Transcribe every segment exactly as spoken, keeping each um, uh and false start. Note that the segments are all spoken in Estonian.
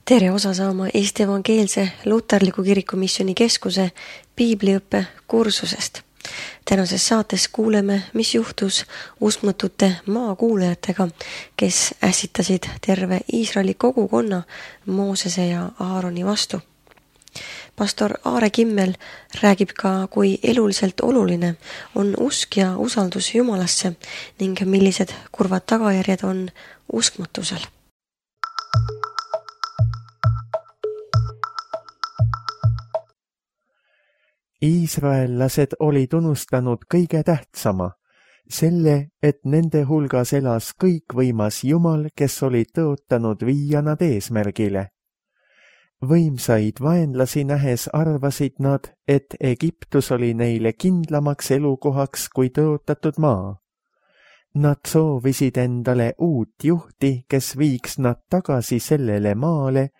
Tere osa saama Eesti Evangeelse Luterliku Kirikumisjoni Keskuse piibliõppe kursusest. Tänases saates kuuleme, mis juhtus uskmatute maakuulajatega, kes ässitasid terve Iisraeli kogukonna Moosese ja Aaroni vastu. Pastor Aare Kimmel räägib ka, kui eluliselt oluline on usk ja usaldus Jumalasse ning millised kurvad tagajärjed on uskmatusel. Iisraellased olid unustanud kõige tähtsama, selle, et nende hulgas elas kõikvõimas Jumal, kes oli tõotanud viia nad eesmärgile. Võimsaid vaenlasi nähes arvasid nad, et Egiptus oli neile kindlamaks elukohaks kui tõotatud maa. Nad soovisid endale uut juhti, kes viiks nad tagasi sellele maale,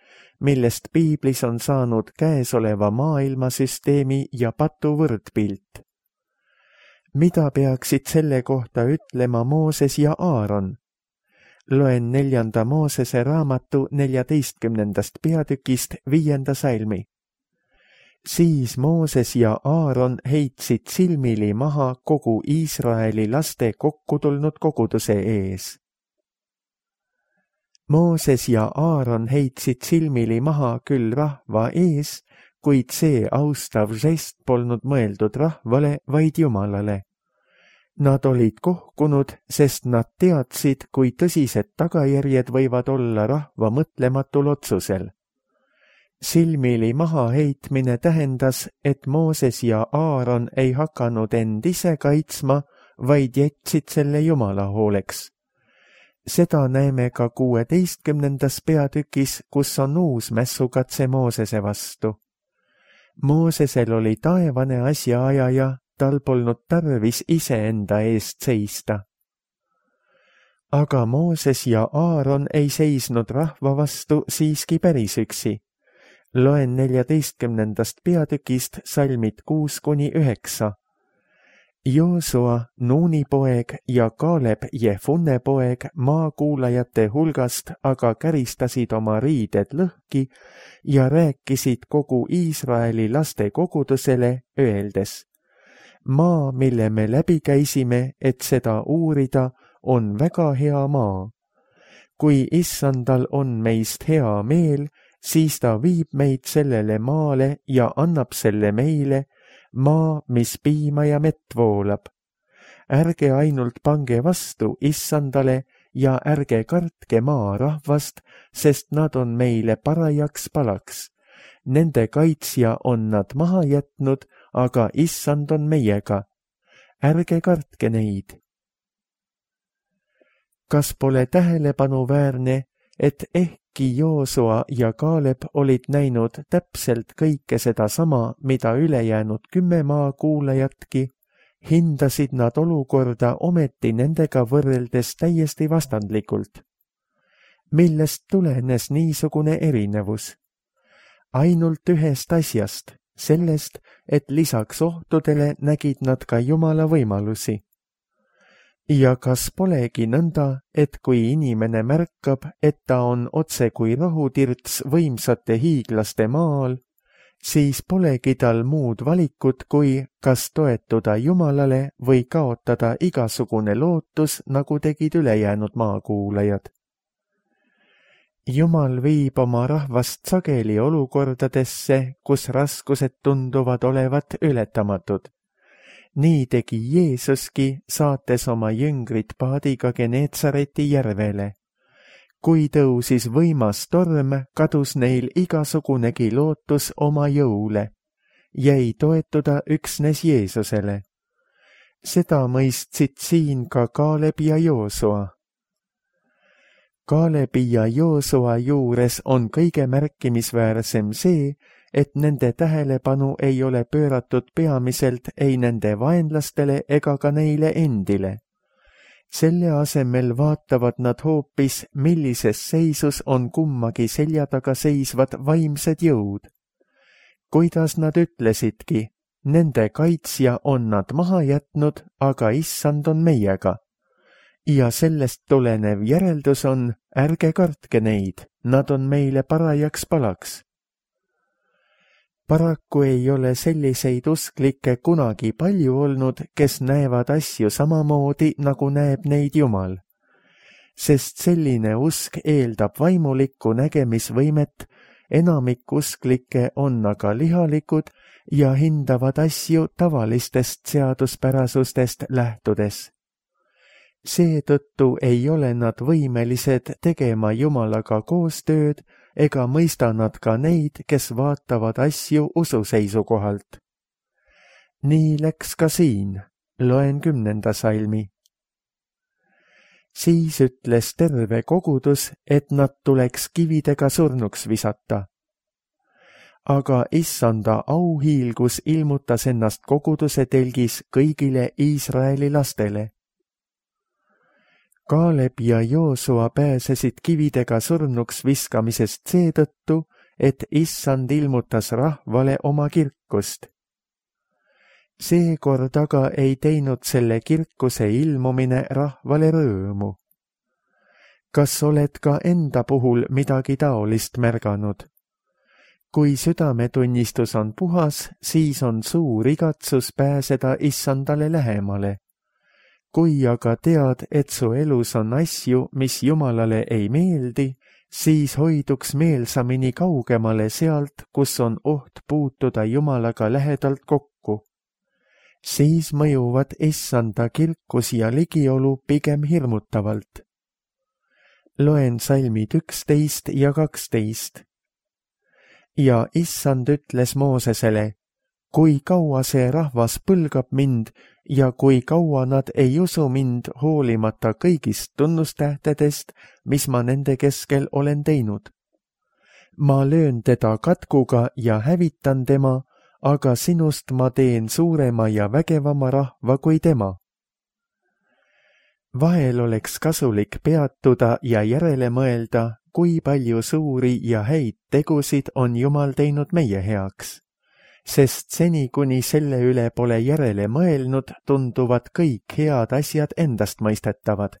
millest piiblis on saanud käesoleva maailmasüsteemi ja patu võrdpilt. Mida peaksid selle kohta ütlema Mooses ja Aaron? Loen neljanda Moosese raamatu neljateistkümnendast peatükist viienda salmi. Siis Mooses ja Aaron heitsid silmili maha kogu Iisraeli laste kokku tulnud koguduse ees. Mooses ja Aaron heitsid silmili maha küll rahva ees, kuid see austav žest polnud mõeldud rahvale, vaid Jumalale. Nad olid kohkunud, sest nad teadsid, kui tõsised tagajärjed võivad olla rahva mõtlematul otsusel. Silmili maha heitmine tähendas, et Mooses ja Aaron ei hakanud end ise kaitsma, vaid jätsid selle Jumala hooleks. Seda näeme ka kuueteistkümnendas peatükis, kus on uus mässukatse Moosese vastu. Moosesel oli taevane asjaajaja, tal polnud tarvis iseenda eest seista. Aga Mooses ja Aaron ei seisnud rahva vastu siiski päris üksi. Loen neljateistkümnendast peatükist salmid kuus kuni üheksa. Joosua, Nuuni poeg ja Kaaleb, Jefunne poeg maakuulajate hulgast aga käristasid oma riided lõhki ja rääkisid kogu Iisraeli laste kogudusele, öeldes: Maa, mille me läbi käisime, et seda uurida, on väga hea maa. Kui Issandal on meist hea meel, siis ta viib meid sellele maale ja annab selle meile, maa, mis piima ja mett voolab. Ärge ainult pange vastu Issandale ja ärge kartke maa rahvast, sest nad on meile parajaks palaks. Nende kaitsja on nad maha jätnud, aga Issand on meiega. Ärge kartke neid. Kas pole tähelepanuväärne, et ehkki Joosua ja Kaaleb olid näinud täpselt kõike seda sama, mida ülejäänud kümme maakuulajatki, hindasid nad olukorda ometi nendega võrreldes täiesti vastandlikult. Millest tulenes niisugune erinevus? Ainult ühest asjast, sellest, et lisaks ohtudele nägid nad ka Jumala võimalusi. Ja kas polegi nõnda, et kui inimene märkab, et ta on otse kui rohutirts võimsate hiiglaste maal, siis polegi tal muud valikut, kui kas toetuda Jumalale või kaotada igasugune lootus, nagu tegid ülejäänud maakuulajad. Jumal viib oma rahvast sageli olukordadesse, kus raskused tunduvad olevat ületamatud. Nii tegi Jeesuski, saates oma jüngrid paadiga Geneetsareti järvele. Kui tõusis võimas torm, kadus neil igasugunegi lootus oma jõule. Jäi toetuda üksnes Jeesusele. Seda mõistsid siin ka Kaaleb ja Joosua. Kaalebi ja Joosua juures on kõige märkimisväärsem see, et nende tähelepanu ei ole pööratud peamiselt ei nende vaenlastele ega ka neile endile. Selle asemel vaatavad nad hoopis, millises seisus on kummagi selja taga seisvad vaimsed jõud. Kuidas nad ütlesidki, nende kaitsja on nad maha jätnud, aga Issand on meiega. Ja sellest tulenev järeldus on, ärge kartke neid, nad on meile parajaks palaks. Paraku ei ole selliseid usklikke kunagi palju olnud, kes näevad asju samamoodi, nagu näeb neid Jumal. Sest selline usk eeldab vaimulikku nägemisvõimet, enamik usklikke on aga lihalikud ja hindavad asju tavalistest seaduspärasustest lähtudes. Seetõttu ei ole nad võimelised tegema Jumalaga koostööd ega mõista nad ka neid, kes vaatavad asju usu seisukohalt. Nii läks ka siin, loen kümnenda salmi. Siis ütles terve kogudus, et nad tuleks kividega surnuks visata. Aga issanda auhiilgus ilmutas ennast koguduse telgis kõigile Iisraeli lastele. Kaaleb ja Joosua pääsesid kividega surnuks viskamisest seetõttu, et issand ilmutas rahvale oma kirkust. Seekord aga ei teinud selle kirkuse ilmumine rahvale rõõmu. Kas oled ka enda puhul midagi taolist märganud? Kui südametunnistus on puhas, siis on suur igatsus pääseda issandale lähemale. Kui aga tead, et su elus on asju, mis Jumalale ei meeldi, siis hoiduks meelsamini kaugemale sealt, kus on oht puutuda Jumalaga lähedalt kokku. Siis mõjuvad issanda kirkus ja ligiolu pigem hirmutavalt. Loen salmid üksteist ja kaksteist. Ja issand ütles Moosesele, kui kaua see rahvas põlgab mind ja kui kaua nad ei usu mind hoolimata kõigist tunnustähtedest, mis ma nende keskel olen teinud. Ma löön teda katkuga ja hävitan tema, aga sinust ma teen suurema ja vägevama rahva kui tema. Vahel oleks kasulik peatuda ja järele mõelda, kui palju suuri ja häid tegusid on Jumal teinud meie heaks. Sest seni, kuni selle üle pole järele mõelnud, tunduvad kõik head asjad endast mõistetavad.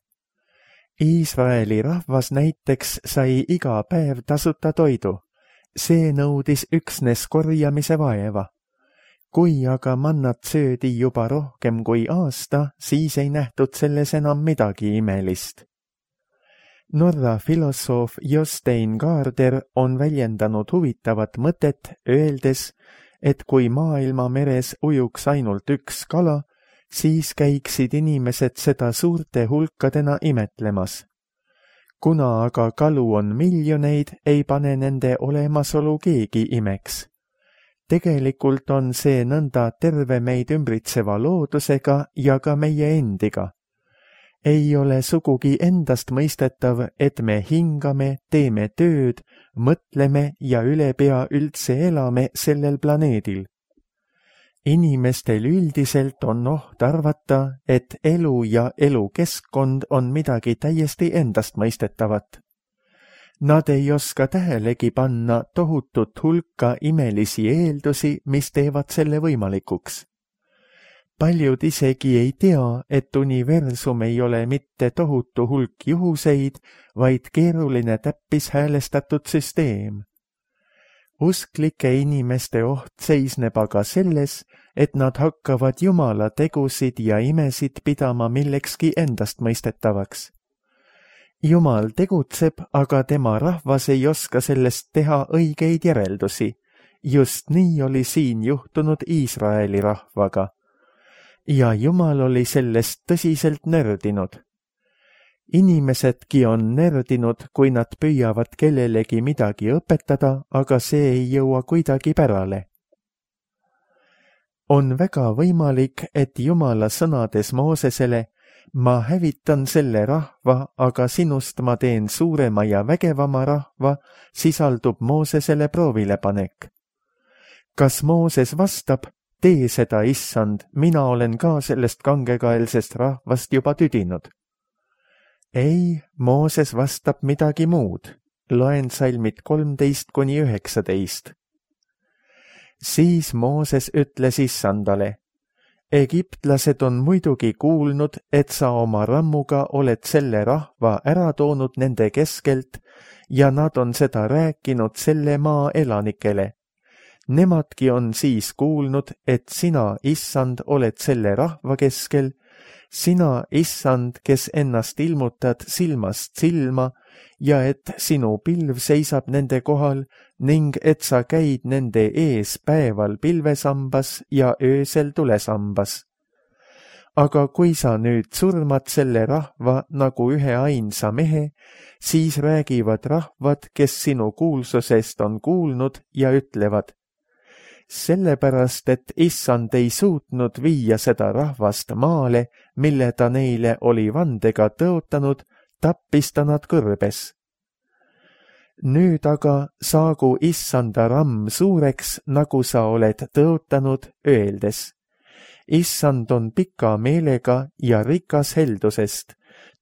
Iisraeli rahvas näiteks sai iga päev tasuta toidu. See nõudis üksnes korjamise vaeva. Kui aga mannat söödi juba rohkem kui aasta, siis ei nähtud selles enam midagi imelist. Norra filosoof Jostein Gaarder on väljendanud huvitavat mõtet, öeldes, et kui maailma meres ujuks ainult üks kala, siis käiksid inimesed seda suurte hulkadena imetlemas. Kuna aga kalu on miljoneid, ei pane nende olemasolu keegi imeks. Tegelikult on see nõnda terve meid ümbritseva loodusega ja ka meie endiga. Ei ole sugugi endast mõistetav, et me hingame, teeme tööd, mõtleme ja ülepea üldse elame sellel planeedil. Inimestel üldiselt on oht arvata, et elu ja elukeskkond on midagi täiesti endastmõistetavat. Nad ei oska tähelegi panna tohutut hulka imelisi eeldusi, mis teevad selle võimalikuks. Paljud isegi ei tea, et universum ei ole mitte tohutu hulk juhuseid, vaid keeruline täppishäälestatud süsteem. Usklike inimeste oht seisneb aga selles, et nad hakkavad Jumala tegusid ja imesid pidama millekski endastmõistetavaks. Jumal tegutseb, aga tema rahvas ei oska sellest teha õigeid järeldusi. Just nii oli siin juhtunud Iisraeli rahvaga. Ja Jumal oli sellest tõsiselt nördinud. Inimesedki on nördinud, kui nad püüavad kellelegi midagi õpetada, aga see ei jõua kuidagi pärale. On väga võimalik, et Jumala sõnades Moosesele, ma hävitan selle rahva, aga sinust ma teen suurema ja vägevama rahva, sisaldub Moosesele proovilepanek. Kas Mooses vastab, tee seda, issand, mina olen ka sellest kangekaelsest rahvast juba tüdinud? Ei, Mooses vastab midagi muud. Loen salmid kolmteist kuni üheksateist. Siis Mooses ütles issandale, Egiptlased on muidugi kuulnud, et sa oma rammuga oled selle rahva ära toonud nende keskelt ja nad on seda rääkinud selle maa elanikele. Nemadki on siis kuulnud, et sina, issand, oled selle rahva keskel, sina, issand, kes ennast ilmutad silmast silma ja et sinu pilv seisab nende kohal ning et sa käid nende ees päeval pilvesambas ja öösel tulesambas. Aga kui sa nüüd surmad selle rahva nagu ühe ainsa mehe, siis räägivad rahvad, kes sinu kuulsusest on kuulnud ja ütlevad, sellepärast, et issand ei suutnud viia seda rahvast maale, mille ta neile oli vandega tõotanud, tappis ta nad kõrbes. Nüüd aga saagu issanda ramm suureks, nagu sa oled tõotanud, öeldes. Issand on pika meelega ja rikas heldusest.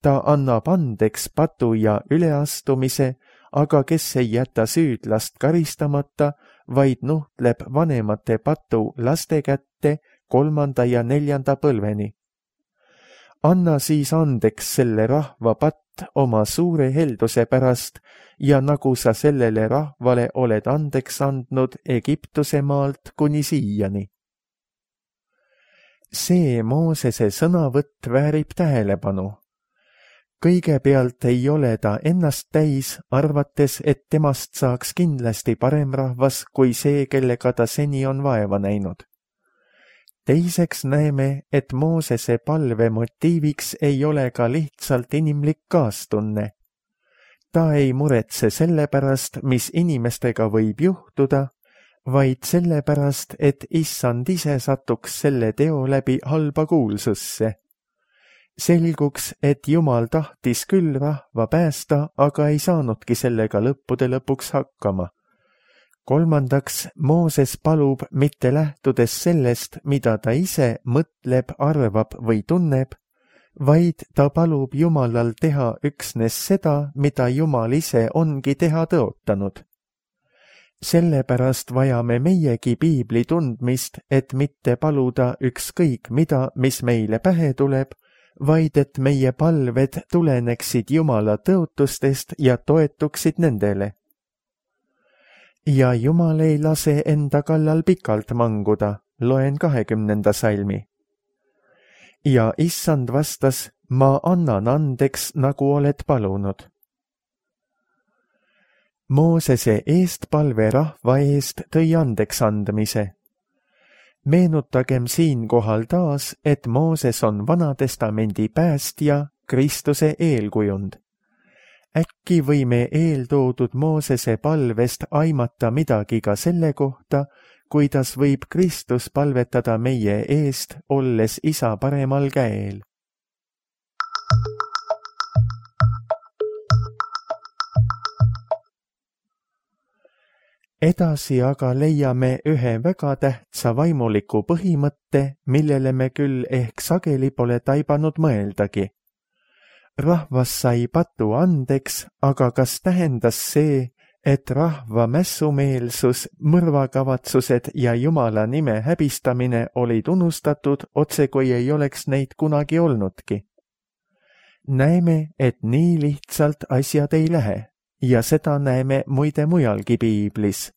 Ta annab andeks patu ja üleastumise, aga kes ei jäta süüdlast karistamata, vaid nuhtleb vanemate patu laste kätte kolmanda ja neljanda põlveni. Anna siis andeks selle rahva patt oma suure helduse pärast ja nagu sa sellele rahvale oled andeks andnud Egiptuse maalt kuni siiani. See Moosese sõnavõtt väärib tähelepanu. Kõigepealt ei ole ta ennast täis, arvates, et temast saaks kindlasti parem rahvas kui see, kellega ta seni on vaeva näinud. Teiseks näeme, et Moosese palve motiiviks ei ole ka lihtsalt inimlik kaastunne. Ta ei muretse selle pärast, mis inimestega võib juhtuda, vaid selle pärast, et issand ise satuks selle teo läbi halba kuulsusse. Selguks, et Jumal tahtis küll rahva päästa, aga ei saanudki sellega lõppude lõpuks hakkama. Kolmandaks, Mooses palub mitte lähtudes sellest, mida ta ise mõtleb, arvab või tunneb, vaid ta palub Jumalal teha üksnes seda, mida Jumal ise ongi teha tõotanud. Sellepärast vajame meiegi piibli tundmist, et mitte paluda ükskõik mida, mis meile pähe tuleb, vaid et meie palved tuleneksid Jumala tõotustest ja toetuksid nendele. Ja Jumal ei lase enda kallal pikalt manguda, loen kahekümnenda salmi. Ja issand vastas, ma annan andeks, nagu oled palunud. Moosese eestpalve rahva eest tõi andeks andmise. Meenutagem siinkohal taas, et Mooses on Vanatestamendi päästja, Kristuse eelkujund. Äkki võime eeltoodud Moosese palvest aimata midagi ka selle kohta, kuidas võib Kristus palvetada meie eest, olles isa paremal käel. Edasi aga leiame ühe väga tähtsa vaimuliku põhimõtte, millele me küll ehk sageli pole taibanud mõeldagi. Rahvas sai patu andeks, aga kas tähendas see, et rahva mässumeelsus, mõrvakavatsused ja Jumala nime häbistamine olid unustatud, otse kui ei oleks neid kunagi olnudki? Näeme, et nii lihtsalt asjad ei lähe. Ja seda näeme muide mujalgi piiblis.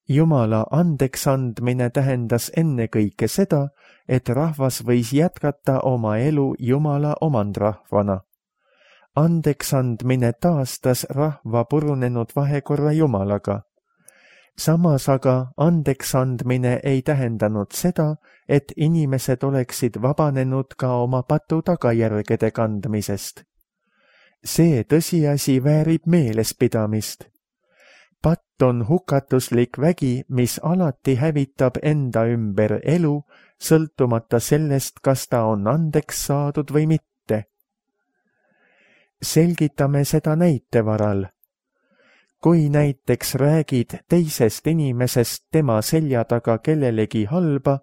Jumala andeks andmine tähendas ennekõike seda, et rahvas võis jätkata oma elu Jumala omandrahvana. Andeks andmine taastas rahva purunenud vahekorra Jumalaga. Samas aga andeks andmine ei tähendanud seda, et inimesed oleksid vabanenud ka oma patu tagajärgede kandmisest. See tõsiasi väärib meelespidamist. Patt on hukatuslik vägi, mis alati hävitab enda ümber elu, sõltumata sellest, kas ta on andeks saadud või mitte. Selgitame seda näite varal. Kui näiteks räägid teisest inimesest tema selja taga kellelegi halba,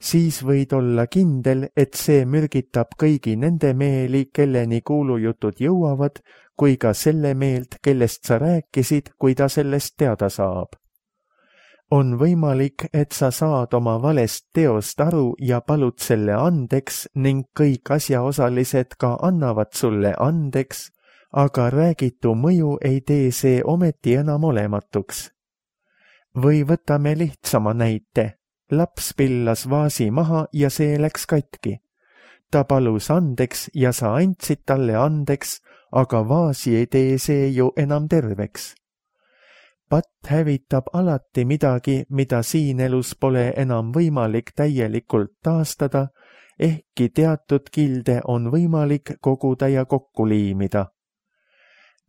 siis võid olla kindel, et see mürgitab kõigi nende meeli, kelleni kuulujutud jõuavad, kui ka selle meelt, kellest sa rääkisid, kui ta sellest teada saab. on võimalik, et sa saad oma valest teost aru ja palud selle andeks ning kõik asjaosalised ka annavad sulle andeks, aga räägitu mõju ei tee see ometi enam olematuks. Või võtame lihtsama näite. Laps pillas vaasi maha ja see läks katki. Ta palus andeks ja sa andsid talle andeks, aga vaasi ei tee see ju enam terveks. Patt hävitab alati midagi, mida siin elus pole enam võimalik täielikult taastada, ehkki teatud kilde on võimalik koguda ja kokku liimida.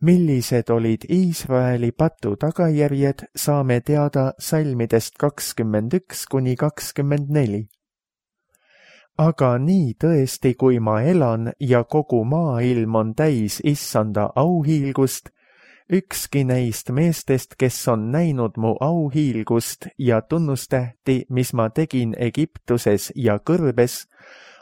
Millised olid Iisraeli patu tagajärjed, saame teada salmidest kakskümmend üks kuni kakskümmend neli. Aga nii tõesti, kui ma elan ja kogu maailm on täis issanda auhiilgust, ükski neist meestest, kes on näinud mu auhiilgust ja tunnustähti, mis ma tegin Egiptuses ja kõrbes,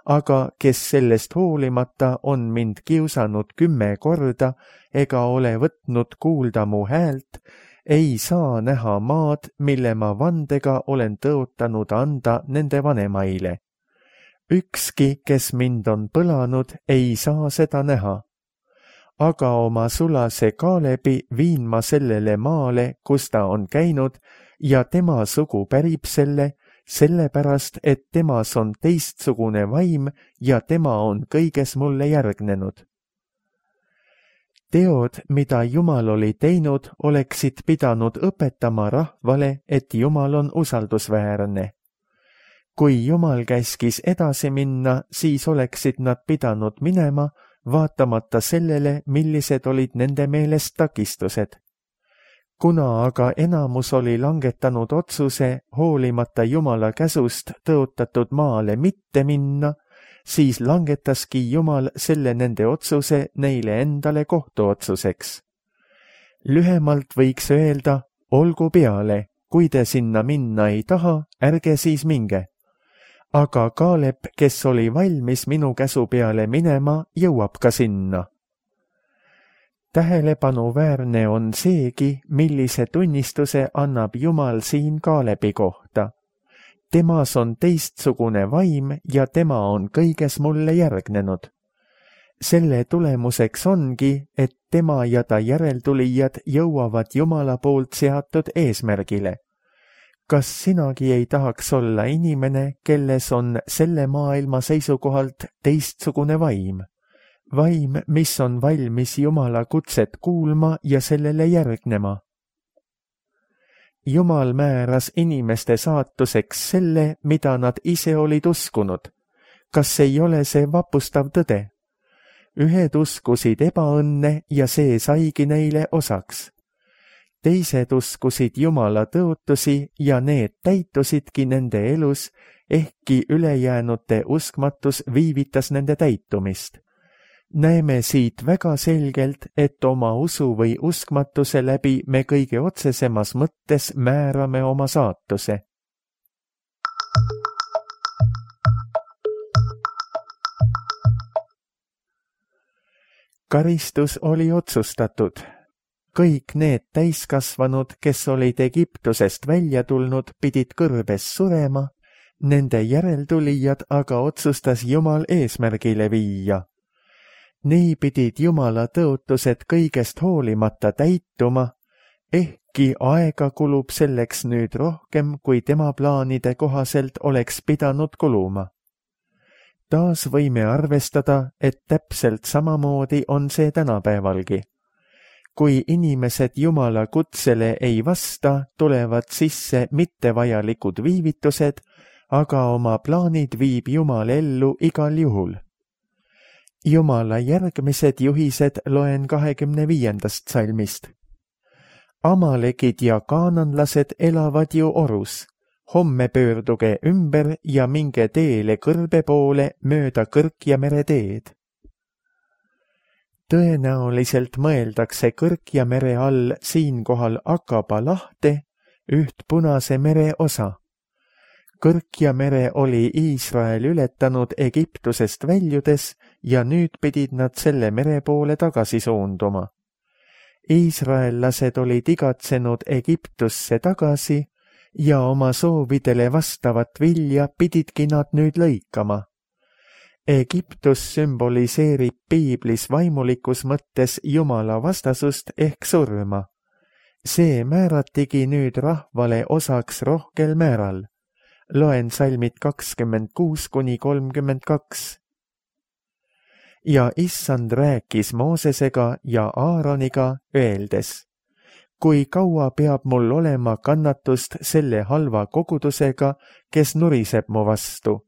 aga kes sellest hoolimata on mind kiusanud kümme korda ega ole võtnud kuulda mu häält, ei saa näha maad, mille ma vandega olen tõotanud anda nende vanemaile. Ükski, kes mind on põlanud, ei saa seda näha. Aga oma sulase Kaalebi viin ma sellele maale, kus ta on käinud, ja tema sugu pärib selle, sellepärast, et temas on teistsugune vaim ja tema on kõiges mulle järgnenud. Teod, mida Jumal oli teinud, oleksid pidanud õpetama rahvale, et Jumal on usaldusväärne. Kui Jumal käskis edasi minna, siis oleksid nad pidanud minema, vaatamata sellele, millised olid nende meelest takistused. Kuna aga enamus oli langetanud otsuse hoolimata Jumala käsust tõotatud maale mitte minna, siis langetaski Jumal selle nende otsuse neile endale kohtuotsuseks. Lühemalt võiks öelda, olgu peale, kui te sinna minna ei taha, ärge siis minge. Aga Kaalep, kes oli valmis minu käsu peale minema, jõuab ka sinna. Tähelepanuväärne on seegi, millise tunnistuse annab Jumal siin Kaalebi kohta. Temas on teistsugune vaim ja tema on kõiges mulle järgnenud. Selle tulemuseks ongi, et tema ja ta järeltulijad jõuavad Jumala poolt seatud eesmärgile. Kas sinagi ei tahaks olla inimene, kelles on selle maailma seisukohalt teistsugune vaim? Vaim, mis on valmis Jumala kutset kuulma ja sellele järgnema. Jumal määras inimeste saatuseks selle, mida nad ise olid uskunud. Kas ei ole see vapustav tõde? Ühed uskusid ebaõnne ja see saigi neile osaks. Teised uskusid Jumala tõotusi ja need täitusidki nende elus, ehkki ülejäänute uskmatus viivitas nende täitumist. Näeme siit väga selgelt, et oma usu või uskmatuse läbi me kõige otsesemas mõttes määrame oma saatuse. Karistus oli otsustatud. Kõik need täiskasvanud, kes olid Egiptusest välja tulnud, pidid kõrbes surema, nende järeltulijad aga otsustas Jumal eesmärgile viia. Nii pidid Jumala tõotused kõigest hoolimata täituma, ehkki aega kulub selleks nüüd rohkem, kui tema plaanide kohaselt oleks pidanud kuluma. Taas võime arvestada, et täpselt samamoodi on see tänapäevalgi. Kui inimesed Jumala kutsele ei vasta, tulevad sisse mittevajalikud viivitused, aga oma plaanid viib Jumal ellu igal juhul. Jumala järgmised juhised loen kahekümne viiendast salmist. Amalekid ja kaananlased elavad ju orus. Homme pöörduge ümber ja minge teele kõrbe poole mööda Kõrkjamere teed. Tõenäoliselt mõeldakse Kõrkjamere all siinkohal Akaba lahte, üht Punase mere osa. Kõrkjamere oli Iisrael ületanud Egiptusest väljudes ja nüüd pidid nad selle mere poole tagasi suunduma. Iisraellased olid igatsenud Egiptusse tagasi, ja oma soovidele vastavat vilja pididki nad nüüd lõikama. Egiptus sümboliseerib piiblis vaimulikus mõttes Jumala vastasust ehk surma. See määratigi nüüd rahvale osaks rohkel määral. Loen salmid kakskümmend kuus kuni kolmkümmend kaks. Ja issand rääkis Moosesega ja Aaroniga öeldes, kui kaua peab mul olema kannatust selle halva kogudusega, kes nuriseb mu vastu?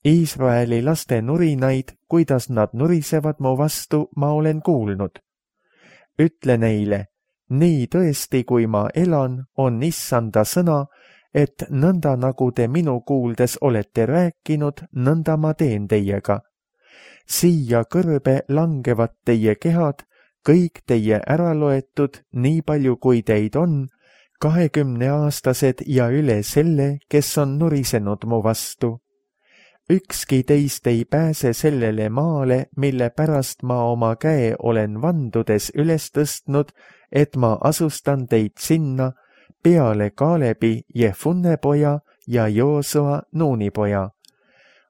Iisraeli laste nurinaid, kuidas nad nurisevad mu vastu, ma olen kuulnud. Ütle neile, nii tõesti, kui ma elan, on issanda sõna, et nõnda nagu te minu kuuldes olete rääkinud, nõnda ma teen teiega. Siia kõrbe langevad teie kehad, kõik teie äraloetud, nii palju kui teid on, kahekümneaastased ja üle selle, kes on nurisenud mu vastu. Ükski teist ei pääse sellele maale, mille pärast ma oma käe olen vandudes üles tõstnud, et ma asustan teid sinna peale Kaalebi Jefunne poja ja Joosua Nuuni poja.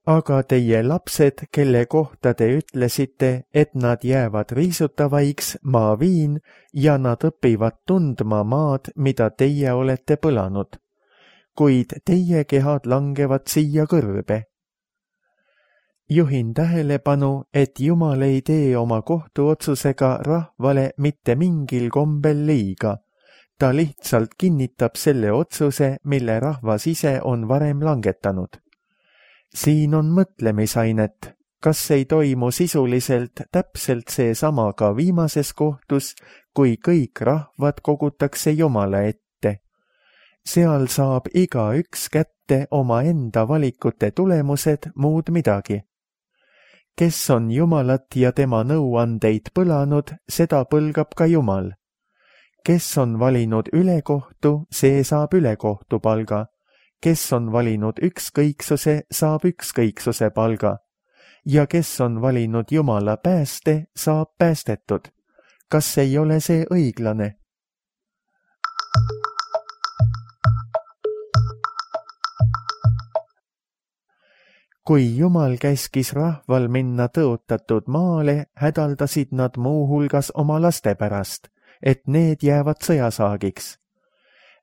Aga teie lapsed, kelle kohta te ütlesite, et nad jäävad riisutavaiks, ma viin ja nad õpivad tundma maad, mida teie olete põlanud. Kuid teie kehad langevad siia kõrbe. Juhin tähelepanu, et Jumal ei tee oma kohtuotsusega rahvale mitte mingil kombel liiga. Ta lihtsalt kinnitab selle otsuse, mille rahvas ise on varem langetanud. Siin on mõtlemisainet, kas ei toimu sisuliselt täpselt seesama ka viimases kohtus, kui kõik rahvad kogutakse Jumala ette. Seal saab igaüks kätte oma enda valikute tulemused, muud midagi. Kes on Jumalat ja tema nõuandeid põlanud, seda põlgab ka Jumal. Kes on valinud ülekohtu, see saab ülekohtu palga. Kes on valinud ükskõiksuse, saab ükskõiksuse palga. Ja kes on valinud Jumala pääste, saab päästetud. Kas ei ole see õiglane? Kui Jumal käskis rahval minna tõotatud maale, hädaldasid nad muu hulgas oma laste pärast, et need jäävad sõjasaagiks.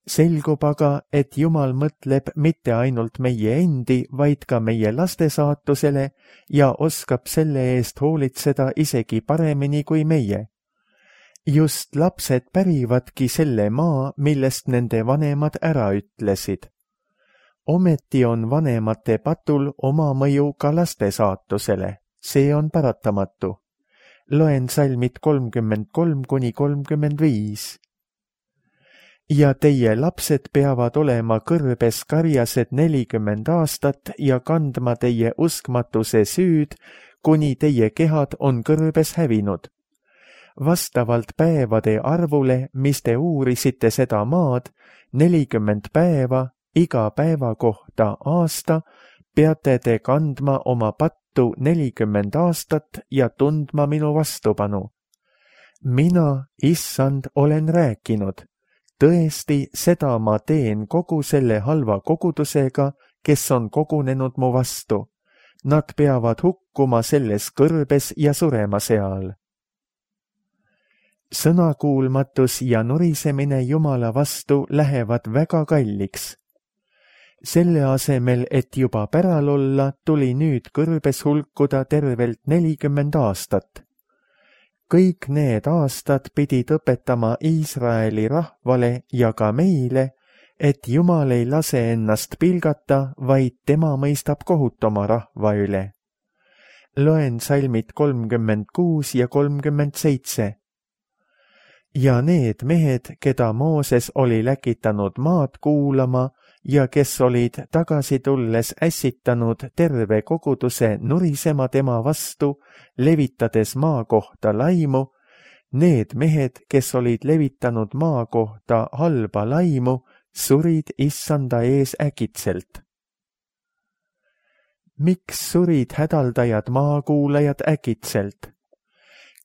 Selgub aga, et Jumal mõtleb mitte ainult meie endi, vaid ka meie laste saatusele ja oskab selle eest hoolitseda isegi paremini kui meie. Just lapsed pärivadki selle maa, millest nende vanemad ära ütlesid. Ometi on vanemate patul oma mõju ka laste saatusele. See on paratamatu. Loen salmid kolmkümmend kolm kuni kolmkümmend viis. Ja teie lapsed peavad olema kõrbes karjased nelikümmend aastat ja kandma teie uskmatuse süüd, kuni teie kehad on kõrbes hävinud. Vastavalt päevade arvule, mis te uurisite seda maad, nelikümmend päeva, iga päeva kohta aasta, peate te kandma oma pattu nelikümmend aastat ja tundma minu vastupanu. Mina, issand, olen rääkinud. Tõesti, seda ma teen kogu selle halva kogudusega, kes on kogunenud mu vastu. Nad peavad hukkuma selles kõrbes ja surema seal. Sõnakuulmatus ja nurisemine Jumala vastu lähevad väga kalliks. Selle asemel, et juba päral olla, tuli nüüd kõrbes hulkuda tervelt nelikümmend aastat. Kõik need aastad pidid õpetama Iisraeli rahvale ja ka meile, et Jumal ei lase ennast pilgata, vaid tema mõistab kohut oma rahva üle. Loen salmid kolmkümmend kuus ja kolmkümmend seitse. Ja need mehed, keda Mooses oli läkitanud maad kuulama ja kes olid tagasi tulles ässitanud terve koguduse nurisema tema vastu, levitades maa kohta laimu, need mehed, kes olid levitanud maa kohta halba laimu, surid issanda ees äkitselt. Miks surid hädaldajad maakuulajad äkitselt?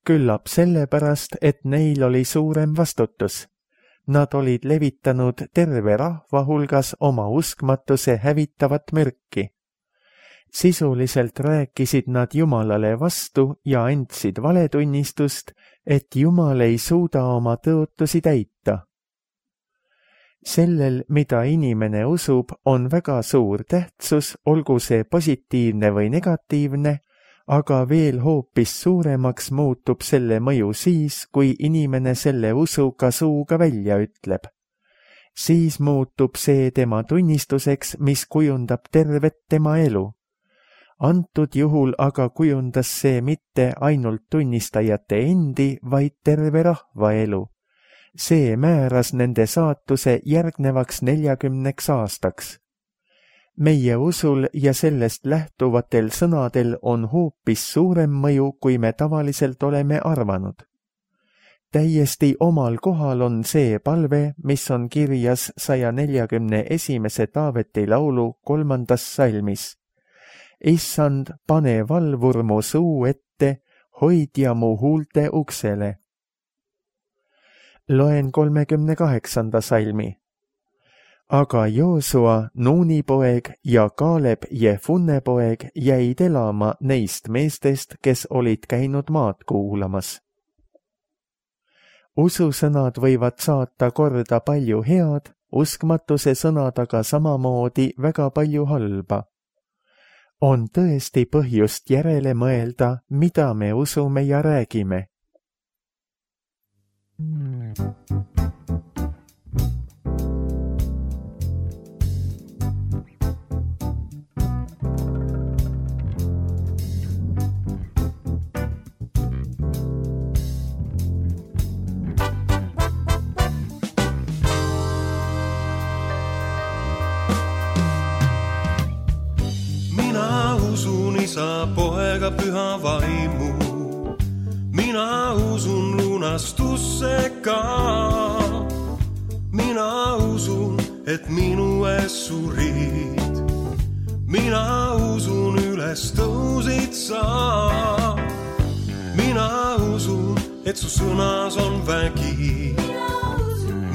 Küllap sellepärast, et neil oli suurem vastutus. Nad olid levitanud terve rahva hulgas oma uskmatuse hävitavat mürki. Sisuliselt rääkisid nad Jumalale vastu ja andsid valetunnistust, et Jumal ei suuda oma tõotusi täita. Sellel, mida inimene usub, on väga suur tähtsus, olgu see positiivne või negatiivne, aga veel hoopis suuremaks muutub selle mõju siis, kui inimene selle usu ka suuga välja ütleb. Siis muutub see tema tunnistuseks, mis kujundab tervet tema elu. Antud juhul aga kujundas see mitte ainult tunnistajate endi, vaid terve rahva elu. See määras nende saatuse järgnevaks neljakümneks aastaks. Meie usul ja sellest lähtuvatel sõnadel on hoopis suurem mõju, kui me tavaliselt oleme arvanud. Täiesti omal kohal on see palve, mis on kirjas saja neljakümne esimese Taaveti laulu kolmandas salmis. Issand, pane valvur mu suu ette, hoidja mu huulte uksele. Loen kolmekümne kaheksanda salmi. Aga Joosua, Nuuni poeg ja Kaaleb Jefunne poeg jäid elama neist meestest, kes olid käinud maad kuulamas. Ususõnad võivad saata korda palju head, uskmatuse sõnad aga samamoodi väga palju halba. On tõesti põhjust järele mõelda, mida me usume ja räägime. Isa, poega, püha vaimu. Mina usun lunastusse ka. Mina usun, et minu ees surid. Mina usun, üles tõusid sa. Mina usun, et su sõnas on vägi.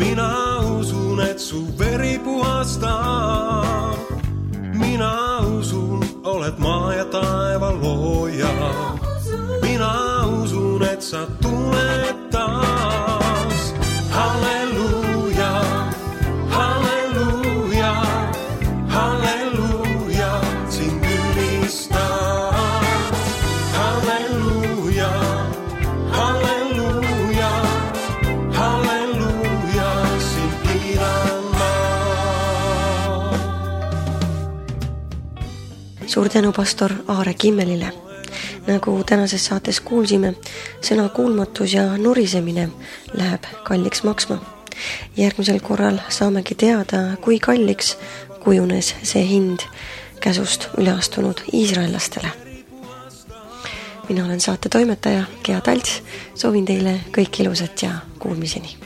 Mina usun, et su veri puhastab. Mina usun, oled maa ja taeva looja. Mina usun, et sa tuled taas. Halleluuja, halleluuja, halleluuja, sind ülistan. Halleluuja, halleluuja, halleluuja, sind kiidan ma. Suur tänu pastor Aare Kimmelile. Nagu tänases saates kuulsime, sõna kuulmatus ja nurisemine läheb kalliks maksma. Järgmisel korral saamegi teada, kui kalliks kujunes see hind käsust üle astunud iisraellastele. Mina olen saate toimetaja Gea Talts, soovin teile kõik ilusat ja kuulmiseni.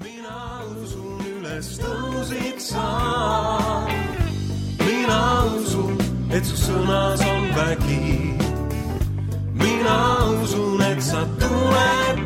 Mina usun, üles tõusid sa. Mina usun, et su sõnas on vägi. Mina usun, et sa tuled